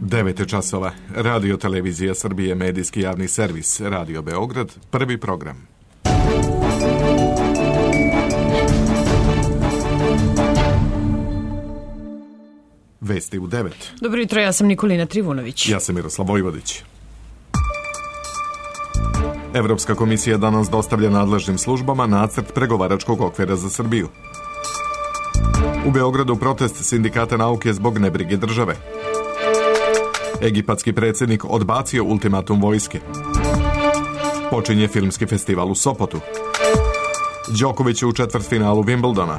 9 je časova. Radio Televizija Srbije, medijski javni servis, Radio Beograd, prvi program. Vesti u 9. Dobro jutro, ja sam Nikolina Trivunović. Ja sam Miroslav Vojvodić. Evropska komisija danas dostavlja nadležnim službama nacrt pregovaračkog okvira za Srbiju. U Beogradu protest sindikata nauke zbog nebrige države. Egipatski predsjednik odbacio ultimatum vojske. Počinje filmski festival u Sopotu. Đoković u četvrtfinalu Wimbledona.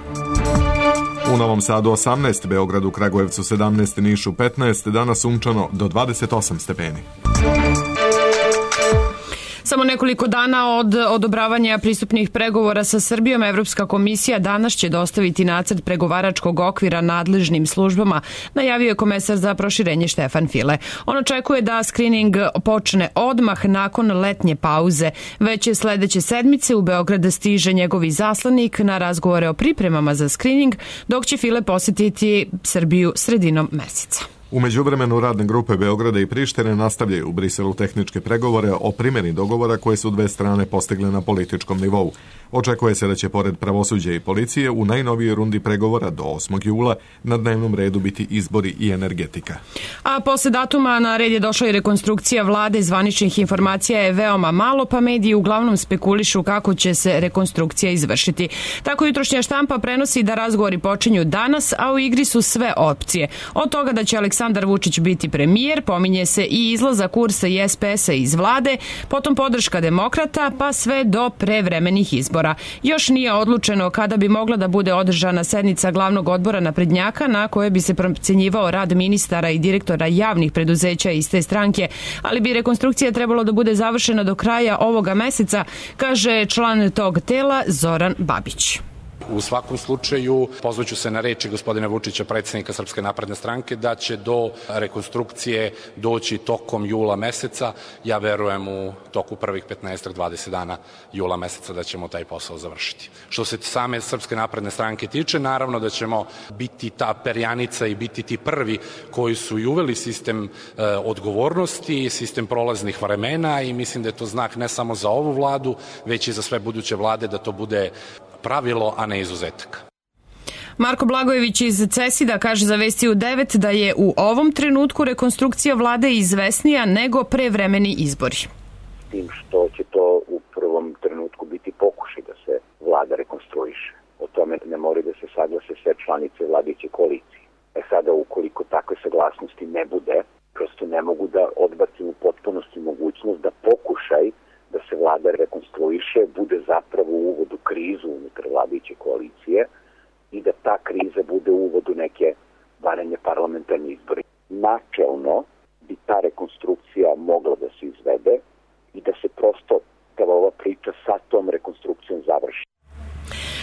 U Novom Sadu 18, Beogradu, Kragujevcu 17, Nišu 15, danas sunčano do 28 stepeni. Samo nekoliko dana od odobravanja pristupnih pregovora sa Srbijom, Evropska komisija danas će dostaviti nacrt pregovaračkog okvira nadležnim službama, najavio je komesar za proširenje Štefan File. On očekuje da skrining počne odmah nakon letnje pauze. Već je sledeće sedmice u Beograd stiže njegov izaslanik na razgovore o pripremama za skrining, dok će File posjetiti Srbiju sredinom meseca. U međuvremenu radne grupe Beograda i Prištine nastavljaju u Briselu tehničke pregovore o primjeni dogovora koje su dve strane postigle na političkom nivou. Očekuje se da će pored pravosuđa i policije u najnovijoj rundi pregovora do 8. jula na dnevnom redu biti izbori i energetika. A posle datuma na red je došla i rekonstrukcija vlade. Zvaničnih informacija je veoma malo, pa mediji uglavnom spekulišu kako će se rekonstrukcija izvršiti. Tako jutrošnja štampa prenosi da razgovori počinju danas, a u igri su sve opcije. Od toga da će Aleksandar Vučić biti premijer, pominje se i izlazak Kursa i SPS-a iz vlade, potom podrška demokrata, pa sve do prevremenih izbora. Još nije odlučeno kada bi mogla da bude održana sednica glavnog odbora naprednjaka na kojoj bi se procenjivao rad ministara i direktora javnih preduzeća iz te stranke, ali bi rekonstrukcija trebalo da bude završena do kraja ovoga meseca, kaže član tog tela Zoran Babić. U svakom slučaju pozvaću se na reči gospodina Vučića, predsjednika Srpske napredne stranke, da će do rekonstrukcije doći tokom jula meseca. Ja verujem u toku prvih 15-20 dana jula meseca da ćemo taj posao završiti. Što se same Srpske napredne stranke tiče, naravno da ćemo biti ta perjanica i biti ti prvi koji su i uveli sistem odgovornosti, sistem prolaznih vremena i mislim da je to znak ne samo za ovu vladu, već i za sve buduće vlade da to bude pravilo, a ne izuzetak. Marko Blagojević iz CESID-a kaže za Vesti u 9 da je u ovom trenutku rekonstrukcija vlade izvesnija nego prevremeni izbori. Tim što će to u prvom trenutku biti pokušaj da se vlada rekonstruiše. O tome ne moraju da se saglase sve članice vladajuće koalicije. Sada ukoliko takve saglasnosti ne bude, prosto ne mogu da odbacim u potpunosti mogućnost da pokušaj da se vlada rekonstruiše bude zapravo uvod u krizu unutar vladajuće koalicije i da ta kriza bude uvod u neke varanje parlamentarne izbore. Načelno bi ta rekonstrukcija mogla da se izvede i da se prosto ova priča sa tom rekonstrukcijom završi.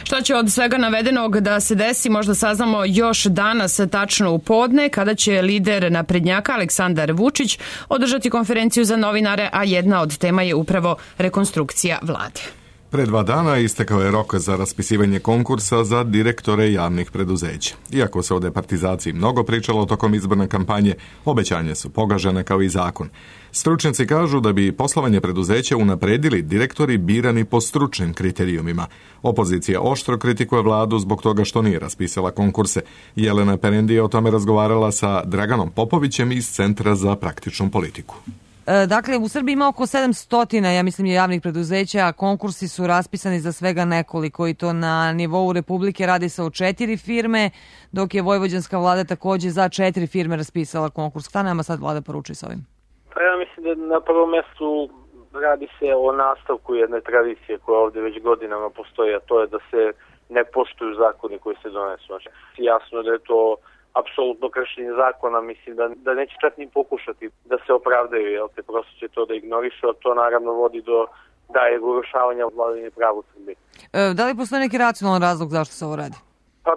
Šta će od svega navedenog da se desi, možda saznamo još danas, tačno u podne, kada će lider naprednjaka Aleksandar Vučić održati konferenciju za novinare, a jedna od tema je upravo rekonstrukcija vlade. Pre 2 dana istekao je rok za raspisivanje konkursa za direktore javnih preduzeća. Iako se o departizaciji mnogo pričalo tokom izborne kampanje, obećanje su pogažene kao i zakon. Stručnjaci kažu da bi poslovanje preduzeća unapredili direktori birani po stručnim kriterijumima. Opozicija oštro kritikuje vladu zbog toga što nije raspisala konkurse. Jelena Perendi je o tome razgovarala sa Draganom Popovićem iz Centra za praktičnu politiku. Dakle, u Srbiji ima oko 700, ja mislim, javnih preduzeća, a konkursi su raspisani za svega nekoliko i to na nivou Republike radi se o 4 firme, dok je vojvođanska vlada takođe za 4 firme raspisala konkurs. Šta nama sad vlada poručuje s ovim? Pa ja mislim da na prvom mjestu radi se o nastavku jedne tradicije koja ovdje već godinama postoji, a to je da se ne poštuju zakoni koji se donesu. Znači, jasno da je to apsolutno kršenje zakona, mislim da neće čak ni pokušati da se opravdaju, jel te, prosto će to da ignorišu, a to naravno vodi do daljeg urušavanja vladavine prava u Srbiji. Da li postoji neki racionalan razlog zašto se ovo radi? Pa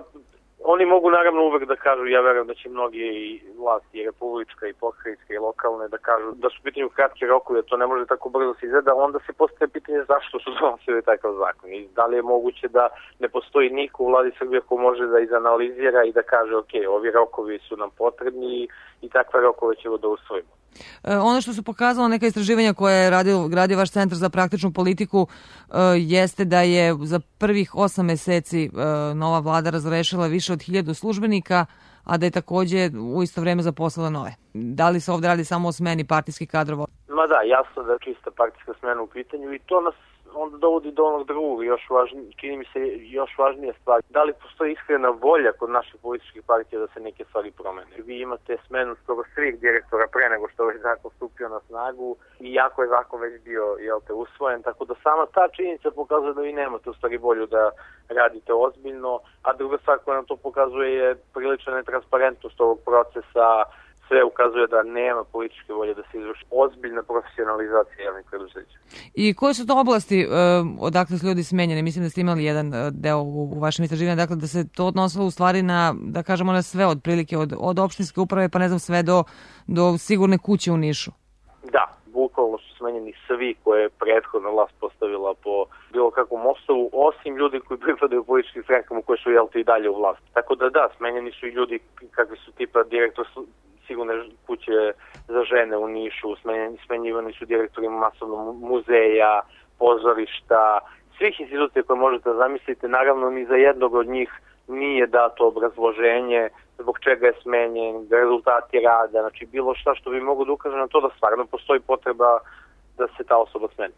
Oni mogu naravno uvek da kažu, ja verujem da će mnogi i vlasti, i republička, i pokrajinska, i lokalne, da kažu da su pitanju kratke rokove, to ne može tako brzo se izgleda, onda se postaje pitanje zašto su donosili takav zakon i da li je moguće da ne postoji niko u vladi Srbije ko može da izanalizira i da kaže ok, ovi rokovi su nam potrebni i takve rokove ćemo da usvojimo. Ono što su pokazalo neka istraživanja koje je gradio vaš centar za praktičnu politiku jeste da je za prvih 8 meseci nova vlada razrešila više od 1000 službenika, a da je takođe u isto vreme zaposlila nove. Da li se ovde radi samo o smeni partijskih kadrova? Ma da, jasno da je čista partijska smena u pitanju i to nas onda dovodi do onog drugog, čini mi se još važnija stvar. Da li postoji iskrena volja kod naših političkih partija da se neke stvari promene? Vi imate smenu skoro svih direktora pre nego što je zakon stupio na snagu i jako je zakon već bio usvojen, tako da sama ta činjenica pokazuje da vi nemate u stvari volju da radite ozbiljno, a druga stvar koja nam to pokazuje je prilična netransparentnost ovog procesa. Sve ukazuje da nema političke volje da se izvrši ozbiljna profesionalizacija javnih preduzeća. I koje su to oblasti odakle su ljudi smenjeni? Mislim da ste imali jedan deo u vašem istraživanju, dakle da se to odnosilo u stvari na, da kažemo, na sve otprilike, od opštinske uprave pa ne znam sve do sigurne kuće u Nišu. Da, bukvalno su smenjeni svi koje je prethodna vlast postavila po bilo kakvom osnovu, osim ljudi koji pripadaju političkim strankama koje su i dalje u vlasti. Tako da, smenjeni su i ljudi kakvi su tipa direktor sigurne kuće za žene u Nišu, smenjivani su direktori masovnog muzeja, pozorišta, svih institucija koje možete da zamislite. Naravno, ni za jednog od njih nije dato obrazloženje zbog čega je smenjen, rezultati rada, znači bilo šta što bi mogo da ukaže na to da stvarno postoji potreba da se ta osoba smeni.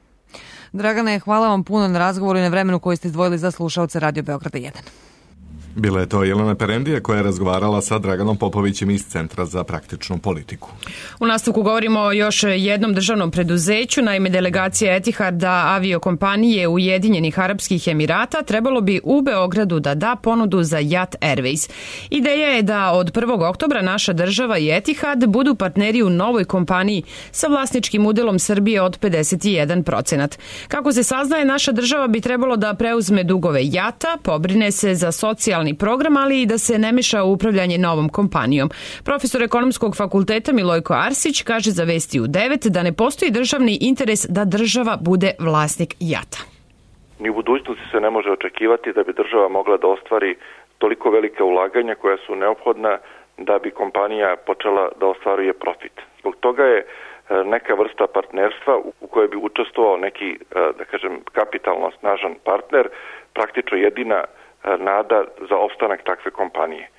Dragane, hvala vam puno na razgovoru i na vremenu koji ste izdvojili za slušaoce Radio Beograda 1. Bila je to Jelena Perendija koja je razgovarala sa Draganom Popovićem iz Centra za praktičnu politiku. U nastavku govorimo o još jednom državnom preduzeću. Naime, delegacija Etiharda aviokompanije Ujedinjenih Arapskih Emirata trebalo bi u Beogradu da da ponudu za Jat Airways. Ideja je da od 1. oktobra naša država i Etihad budu partneri u novoj kompaniji sa vlasničkim udelom Srbije od 51%. Kako se saznaje, naša država bi trebalo da preuzme dugove Jata, pobrine se za socijalni program, ali i da se ne meša u upravljanje novom kompanijom. Profesor ekonomskog fakulteta Milojko Arsić kaže za Vesti u 9 da ne postoji državni interes da država bude vlasnik Jata. Ni u budućnosti se ne može očekivati da bi država mogla da ostvari toliko velike ulaganja koja su neophodna da bi kompanija počela da ostvaruje profit. Zbog toga je neka vrsta partnerstva u kojoj bi učestvovao neki, da kažem, kapitalno snažan partner, praktično jedina nada za opstanak takve kompanije.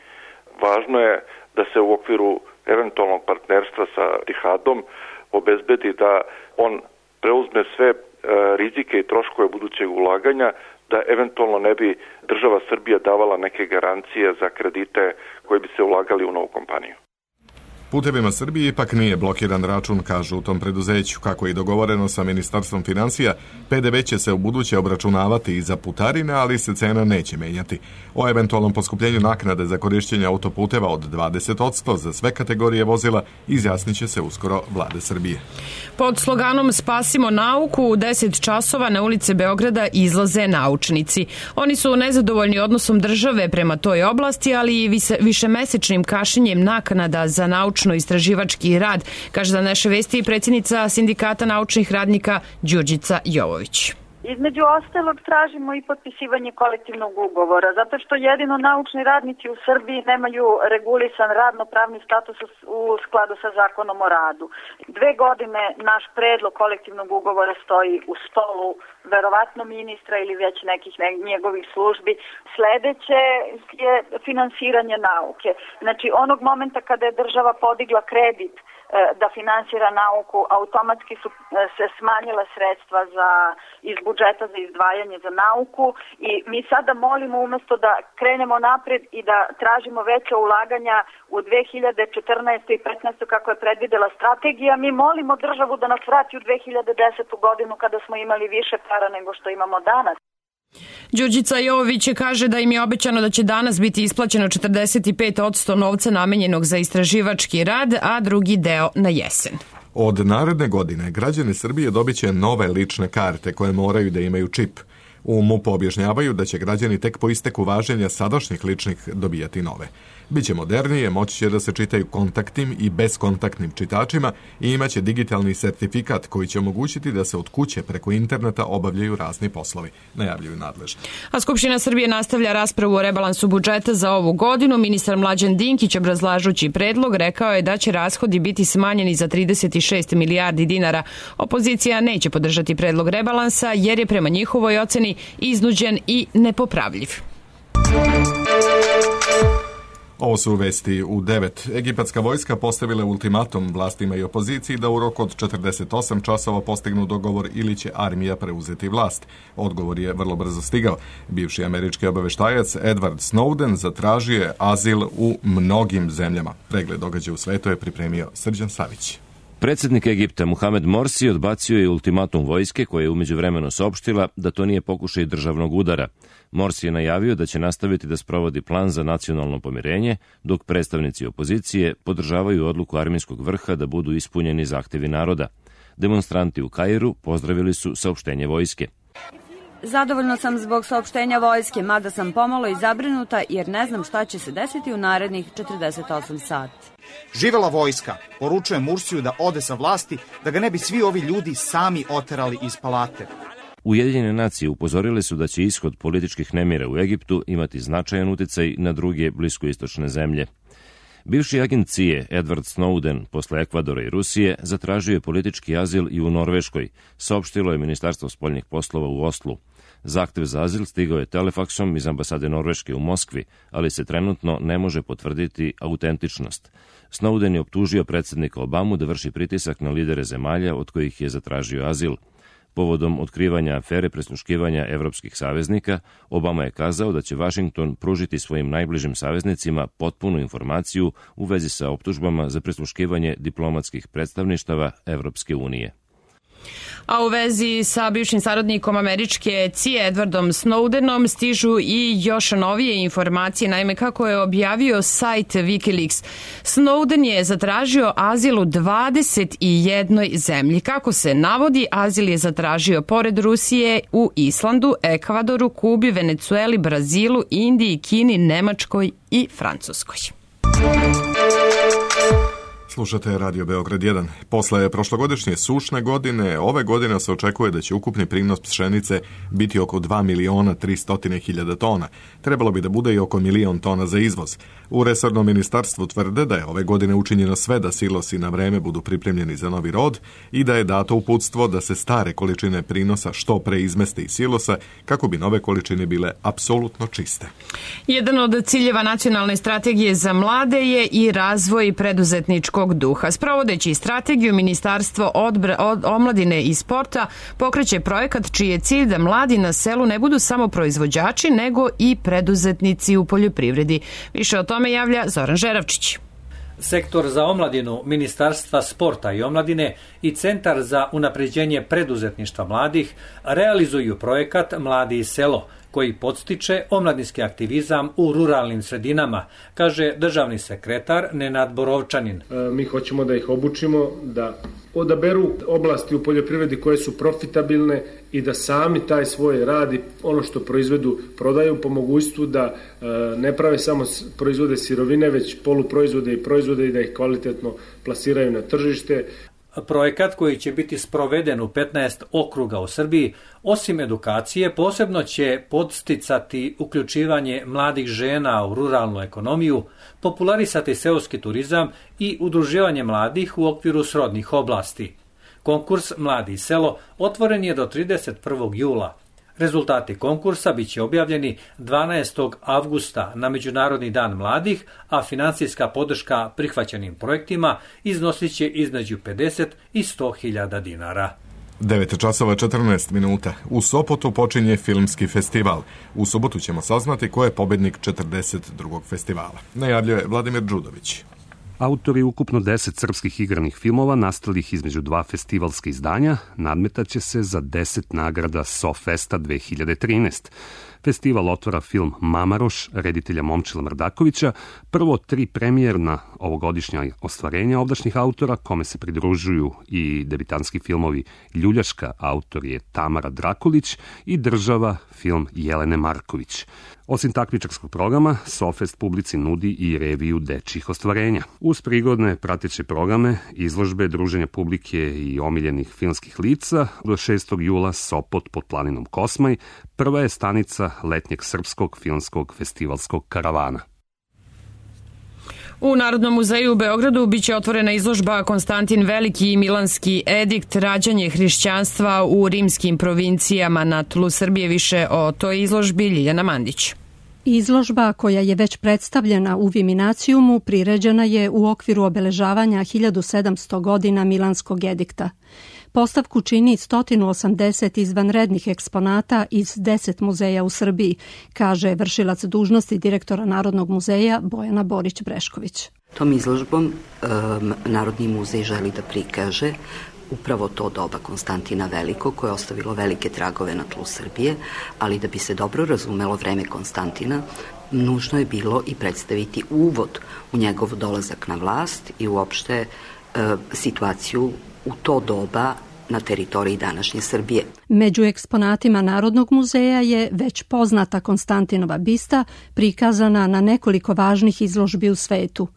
Važno je da se u okviru eventualnog partnerstva sa Etihadom obezbedi da on preuzme sve rizike i troškove budućeg ulaganja, da eventualno ne bi država Srbija davala neke garancije za kredite koji bi se ulagali u novu kompaniju. Putevima Srbije ipak nije blokiran račun, kažu u tom preduzeću. Kako je dogovoreno sa Ministarstvom financija, PDV će se u buduće obračunavati i za putarine, ali se cena neće menjati. O eventualnom poskupljenju naknade za korišćenje autoputeva od 20% za sve kategorije vozila izjasnit će se uskoro Vlade Srbije. Pod sloganom Spasimo nauku u 10 časova na ulice Beograda izlaze naučnici. Oni su nezadovoljni odnosom države prema toj oblasti, ali i višemesečnim kašnjenjem naknada za naučno-istraživački rad, kaže za naše Vesti i predsjednica Sindikata naučnih radnika Đurđica Jovović. Između ostalog tražimo i potpisivanje kolektivnog ugovora, zato što jedino naučni radnici u Srbiji nemaju regulisan radno-pravni status u skladu sa zakonom o radu. 2 godine naš predlog kolektivnog ugovora stoji u stolu, verovatno ministra ili već nekih njegovih službi. Sledeće je finansiranje nauke. Znači onog momenta kada je država podigla kredit da finansira nauku, automatski su se smanjila sredstva iz budžeta za izdvajanje za nauku i mi sada molimo umesto da krenemo napred i da tražimo veće ulaganja u 2014. i 2015. kako je predvidela strategija, mi molimo državu da nas vrati u 2010. godinu kada smo imali više para nego što imamo danas. Đurđica Jovović kaže da im je obećano da će danas biti isplaćeno 45% novca namenjenog za istraživački rad, a drugi deo na jesen. Od naredne godine građani Srbije dobit će nove lične karte koje moraju da imaju čip. U MUP-u objašnjavaju da će građani tek po isteku važenja sadašnjih ličnih dobijati nove. Biće modernije, moći će da se čitaju kontaktnim i beskontaktnim čitačima i imaće digitalni sertifikat koji će omogućiti da se od kuće preko interneta obavljaju razni poslovi, najavljuju nadležni. A Skupština Srbije nastavlja raspravu o rebalansu budžeta za ovu godinu. Ministar Mlađan Dinkić, obrazlažući predlog, rekao je da će rashodi biti smanjeni za 36 milijardi dinara. Opozicija neće podržati predlog rebalansa jer je prema njihovoj oceni iznuđen i nepopravljiv. Ovo su vesti u 9. Egipatska vojska postavila ultimatum vlastima i opoziciji da u roku od 48 časova postignu dogovor ili će armija preuzeti vlast. Odgovor je vrlo brzo stigao. Bivši američki obaveštajac Edward Snowden zatražio je azil u mnogim zemljama. Pregled događaja u svetu je pripremio Srđan Savić. Predsjednik Egipta Muhamed Morsi odbacio je ultimatum vojske koja je umeđuvremeno saopštila da to nije pokušaj državnog udara. Morsi je najavio da će nastaviti da sprovodi plan za nacionalno pomirenje, dok predstavnici opozicije podržavaju odluku armijskog vrha da budu ispunjeni zahtevi naroda. Demonstranti u Kairu pozdravili su saopštenje vojske. Zadovoljno sam zbog saopštenja vojske, mada sam pomalo i zabrinuta jer ne znam šta će se desiti u narednih 48 sati. Živela vojska, poručuje Mursiju da ode sa vlasti, da ga ne bi svi ovi ljudi sami oterali iz palate. Ujedinjene nacije upozorile su da će ishod političkih nemira u Egiptu imati značajan uticaj na druge bliskoistočne zemlje. Bivši agent CIA Edward Snowden posle Ekvadora i Rusije zatražio je politički azil i u Norveškoj, saopštilo je Ministarstvo spoljnih poslova u Oslu. Zahtev za azil stigao je telefaksom iz ambasade Norveške u Moskvi, ali se trenutno ne može potvrditi autentičnost. Snowden je optužio predsjednika Obamu da vrši pritisak na lidere zemalja od kojih je zatražio azil. Povodom otkrivanja afere prisluškivanja evropskih saveznika, Obama je kazao da će Vašington pružiti svojim najbližim saveznicima potpunu informaciju u vezi sa optužbama za prisluškivanje diplomatskih predstavništava Evropske unije. A u vezi sa bivšim saradnikom američke CIA Edwardom Snowdenom stižu i još novije informacije, naime kako je objavio sajt Wikileaks. Snowden je zatražio azil u 21 zemlji. Kako se navodi, azil je zatražio pored Rusije u Islandu, Ekvadoru, Kubi, Venecueli, Brazilu, Indiji, Kini, Nemačkoj i Francuskoj. Slušate Radio Beograd 1. Posle prošlogodišnje sušne godine, ove godine se očekuje da će ukupni prinos pšenice biti oko 2.300.000 tona. Trebalo bi da bude i oko 1.000.000 tona za izvoz. U resornom ministarstvu tvrde da je ove godine učinjeno sve da silosi na vreme budu pripremljeni za novi rod i da je dato uputstvo da se stare količine prinosa što pre izmeste iz silosa kako bi nove količine bile apsolutno čiste. Jedan od ciljeva nacionalne strategije za mlade je i razvoj preduzetničkog duha. Sprovodeći strategiju, Ministarstvo omladine i sporta pokreće projekat čiji je cilj da mladi na selu ne budu samo proizvođači, nego i preduzetnici u poljoprivredi. Više o tome javlja Zoran Žeravčić. Sektor za omladinu Ministarstva sporta i omladine i Centar za unapređenje preduzetništva mladih realizuju projekat Mladi i selo, koji podstiče omladinski aktivizam u ruralnim sredinama, kaže državni sekretar Nenad Borovčanin. Mi hoćemo da ih obučimo, da odaberu oblasti u poljoprivredi koje su profitabilne i da sami taj svoj rad i ono što proizvedu prodaju po mogućstvu da ne prave samo proizvode sirovine, već poluproizvode i proizvode i da ih kvalitetno plasiraju na tržište. Projekat koji će biti sproveden u 15 okruga u Srbiji, osim edukacije, posebno će podsticati uključivanje mladih žena u ruralnu ekonomiju, popularisati seoski turizam i udruživanje mladih u okviru srodnih oblasti. Konkurs Mladi i selo otvoren je do 31. jula. Rezultati konkursa biće objavljeni 12. avgusta na Međunarodni dan mladih, a finansijska podrška prihvaćenim projektima iznosit će između 50 i 100.000 dinara. 9:14. U Sopotu počinje filmski festival. U subotu ćemo saznati ko je pobednik 42. festivala. Najavljuje Vladimir Đudović. Autori ukupno 10 srpskih igranih filmova nastalih između dva festivalska izdanja nadmetaće se za 10 nagrada SoFesta 2013. Festival otvara film Mamaroš reditelja Momčila Mrdakovića, prvo 3 premijerna ovogodišnja ostvarenja ovdašnjih autora, kome se pridružuju i debitanski filmovi Ljuljaška, autor je Tamara Drakulić, i Država, film Jelene Marković. Osim takmičarskog programa, SoFest publici nudi i reviju dečjih ostvarenja. Uz prigodne prateće programe, izložbe, druženja publike i omiljenih filmskih lica, do 6. jula Sopot pod planinom Kosmaj, prva je stanica letnjeg srpskog filmskog festivalskog karavana. U Narodnom muzeju u Beogradu biće otvorena izložba Konstantin Veliki i Milanski edikt, rađanje hrišćanstva u rimskim provincijama na tlu Srbije. Više o toj izložbi Ljiljana Mandić. Izložba, koja je već predstavljena u Viminacijumu, priređena je u okviru obeležavanja 1700 godina Milanskog edikta. Postavku čini 180 izvanrednih eksponata iz 10 muzeja u Srbiji, kaže vršilac dužnosti direktora Narodnog muzeja Bojana Borić-Brešković. Tom izložbom Narodni muzej želi da prikaže upravo to doba Konstantina Velikog, koje je ostavilo velike tragove na tlu Srbije, ali da bi se dobro razumelo vreme Konstantina, nužno je bilo i predstaviti uvod u njegov dolazak na vlast i uopšte situaciju u to doba na teritoriji današnje Srbije. Među eksponatima Narodnog muzeja je već poznata Konstantinova bista, prikazana na nekoliko važnih izložbi u svetu.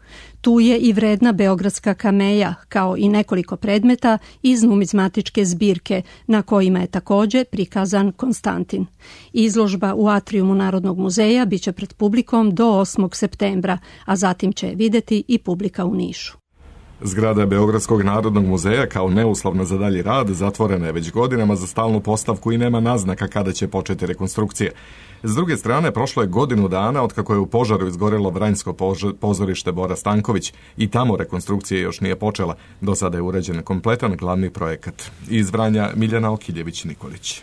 Tu je i vredna beogradska kameja, kao i nekoliko predmeta iz numizmatičke zbirke, na kojima je takođe prikazan Konstantin. Izložba u atrijumu Narodnog muzeja biće pred publikom do 8. septembra, a zatim će videti i publika u Nišu. Zgrada Beogradskog narodnog muzeja kao neuslovna za dalji rad zatvorena je već godinama za stalnu postavku i nema naznaka kada će početi rekonstrukcija. S druge strane, prošlo je godinu dana od kako je u požaru izgorelo Vranjsko pozorište Bora Stanković i tamo rekonstrukcija još nije počela. Do sada je urađen kompletan glavni projekat. Iz Vranja Miljana Okiljević-Nikolić.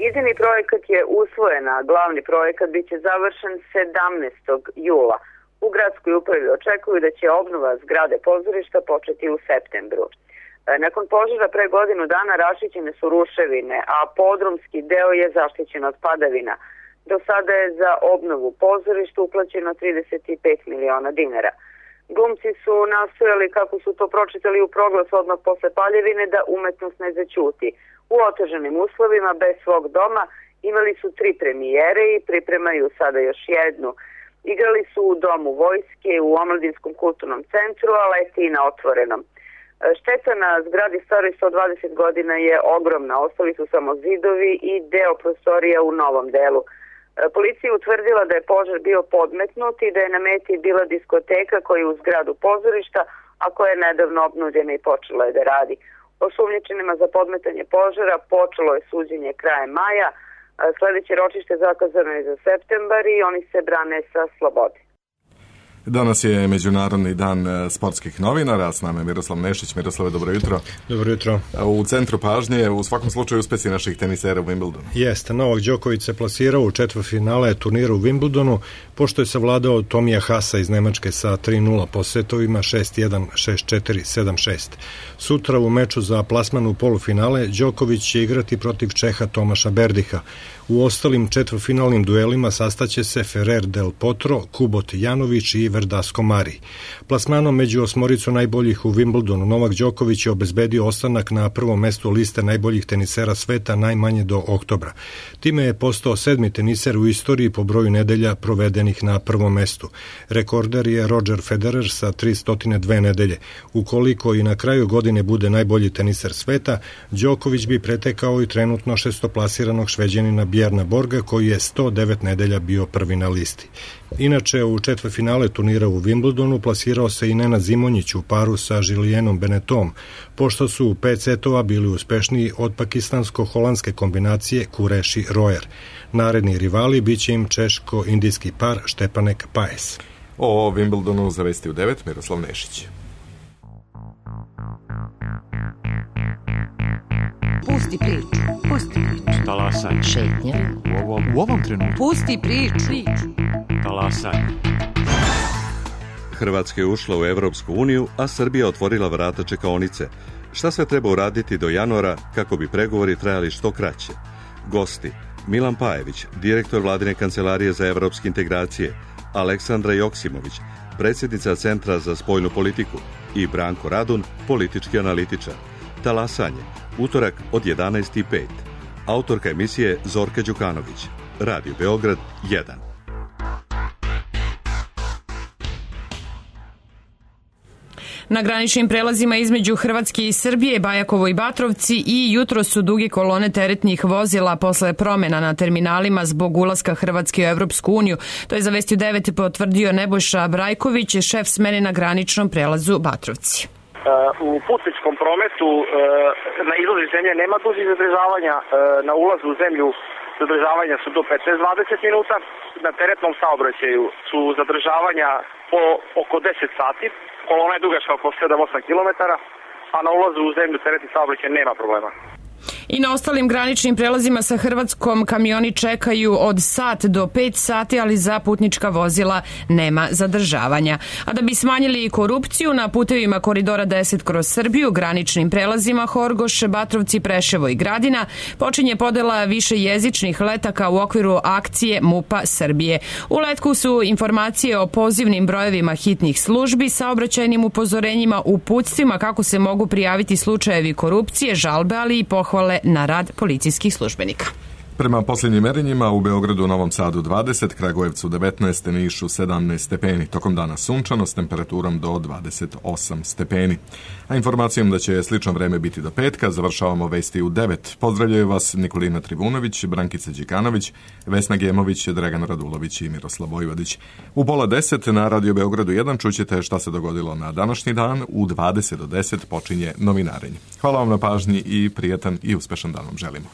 Idejni projekat je usvojen, a glavni projekat biće završen 17. jula. U gradskoj upravi očekuju da će obnova zgrade pozorišta početi u septembru. Nakon požara pre godinu dana rašićene su ruševine, a podrumski deo je zaštićen od padavina. Do sada je za obnovu pozorišta uplaćeno 35 miliona dinara. Glumci su nastojali, kako su to pročitali u proglasu odmah posle paljevine, da umetnost ne zaćuti. U otežanim uslovima, bez svog doma, imali su 3 premijere i pripremaju sada još jednu. Igrali su u Domu vojske, u Omladinskom kulturnom centru, a leti i na otvorenom. Šteta na zgradi staroj 120 godina je ogromna, ostali su samo zidovi i deo prostorija u novom delu. Policija je utvrdila da je požar bio podmetnut i da je na meti bila diskoteka koja je u zgradu pozorišta, a koja je nedavno obnovljena i počela je da radi. Osumnjičenima za podmetanje požara počelo je suđenje krajem maja. Sledeće ročište zakazano je za septembar i oni se brane sa slobode. Danas je Međunarodni dan sportskih novinara, s nama je Miroslav Nešić. Miroslave, dobro jutro. Dobro jutro. U centru pažnje u svakom slučaju uspesi naših tenisera u Wimbledonu. Jeste, Novak Đoković se plasirao u četvrtfinale turnira u Wimbledonu, pošto je savladao Tomija Hasa iz Nemačke sa 3-0 po setovima 6-1, 6-4, 7-6. Sutra u meču za plasman u polufinale Đoković će igrati protiv Čeha Tomaša Berdiha. U ostalim četvrtfinalnim duelima sastaće se Ferrer del Potro, Kubot Janović i Verdasco Mari. Plasmanom među osmoricu najboljih u Wimbledonu Novak Đoković je obezbedio ostanak na prvom mestu liste najboljih tenisera sveta najmanje do oktobra. Time je postao 7. teniser u istoriji po broju nedelja provedenih na prvom mestu. Rekorder je Roger Federer sa 302 nedelje. Ukoliko i na kraju godine bude najbolji teniser sveta, Đoković bi pretekao i trenutno šestoplasiranog Šveđanina Bjerna Borga, koji je 109 nedelja bio prvi na listi. Inače, u četvrtfinale turnira u Wimbledonu plasirao se i Nenad Zimonjić u paru sa Julianom Benetom, pošto su u 5 setova bili uspešniji od pakistansko-holandske kombinacije Kureši-Rojer. Naredni rivali biće im češko-indijski par Štepanek-Paes. O Wimbledonu zavesti u 9 Miroslav Nešić. Pusti priču. Pusti priču. Talasaj. Šetnja. U ovom trenutku. Pusti priču. Talasaj. Hrvatska je ušla u Evropsku uniju, a Srbija otvorila vrata čekaonice. Šta sve treba uraditi do januara kako bi pregovori trajali što kraće? Gosti: Milan Pajević, direktor Vladine kancelarije za evropske integracije, Aleksandra Joksimović, predsjednica Centra za spoljnu politiku i Branko Radun, politički analitičar. Talasanje, utorak od 11:05. Autorka emisije Zorka Đukanović. Radio Beograd 1. Na graničnim prelazima između Hrvatske i Srbije, Bajakovo i Batrovci i jutro su duge kolone teretnih vozila posle promena na terminalima zbog ulaska Hrvatske u Evropsku uniju. To je za Vesti 9 potvrdio Nebojša Brajković, šef smene na graničnom prelazu Batrovci. U putničkom prometu na izlazu iz zemlje nema dužih zadržavanja, na ulazu u zemlju zadržavanja su do 15-20 minuta, na teretnom saobraćaju su zadržavanja po oko 10 sati, kolona je dugačka oko 7-8 km, a na ulazu u zemlju teretni saobraćaj nema problema. I na ostalim graničnim prelazima sa Hrvatskom kamioni čekaju od sat do 5 sati, ali za putnička vozila nema zadržavanja. A da bi smanjili korupciju na putevima koridora 10 kroz Srbiju, graničnim prelazima Horgoš, Batrovci, Preševo i Gradina, počinje podela više jezičnih letaka u okviru akcije MUP-a Srbije. U letku su informacije o pozivnim brojevima hitnih službi, saobraćajnim upozorenjima, uputstvima kako se mogu prijaviti slučajevi korupcije, žalbe, ali i pohvale na rad policijskih službenika. Prema posljednjim merenjima u Beogradu, Novom Sadu 20, Kragujevcu 19, Nišu 17 stepeni. Tokom dana sunčano s temperaturom do 28 stepeni. A informacijom da će slično vreme biti do petka, završavamo Vesti u 9. Pozdravljaju vas Nikolina Trivunović, Brankica Đikanović, Vesna Gemović, Dragan Radulović i Miroslav Vojvodić. U pola 10 na Radio Beogradu 1 čućete šta se dogodilo na današnji dan. U 20 do 10 počinje novinarenje. Hvala vam na pažnji i prijatan i uspešan dan vam želimo.